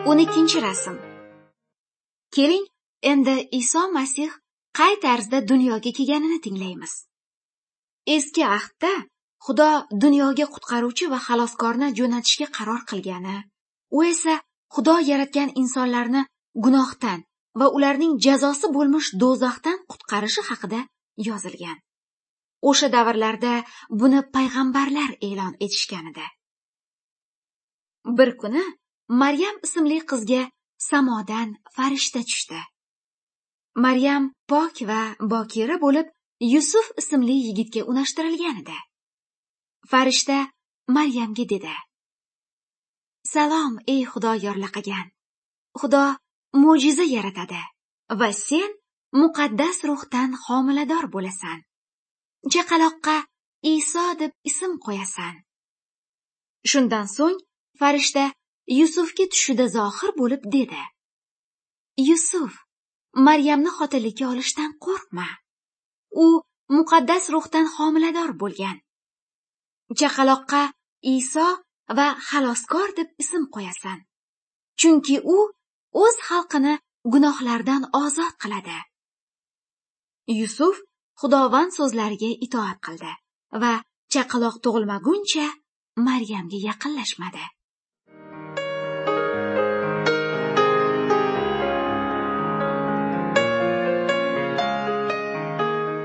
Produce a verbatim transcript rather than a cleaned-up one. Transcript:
O'n ikkinchi rasm. Keling, endi Iso Masih qay tarzda dunyoga kelganini tinglaymiz. Eski ahdda Xudo dunyoga qutqaruvchi va xaloskorni jo'natishga qaror qilgani, u esa Xudo yaratgan insonlarni gunohdan va ularning jazosi bo'lmish do'zaxdan qutqarishi haqida yozilgan. O'sha davrlarda buni payg'ambarlar e'lon etishgan edi. Bir kuni Maryam ismli qizga samodan farishta tushdi. Maryam pok va bokira bo'lib, Yusuf ismli yigitga unashtirilgan edi. Farishta Maryamga dedi: "Salom, ey Xudo yorlaqagan. Xudo mo'jiza yaratadi va sen muqaddas ruhdan homilador bo'lasan. Chaqaloqqa Iso deb ism qo'yasan." Shundan so'ng farishta Yusufga tushida zohir bo'lib dedi: "Yusuf, Maryamni xotinlikka olishdan qo'rqma. U muqaddas ruhdan homilador bo'lgan. Chaqaloqqa Iso va xaloskor deb ism qo'yasan. Chunki u o'z xalqini gunohlardan ozod qiladi." Yusuf Xudovand so'zlariga itoat qildi va chaqaloq tug'ilmaguncha Maryamga yaqinlashmadi.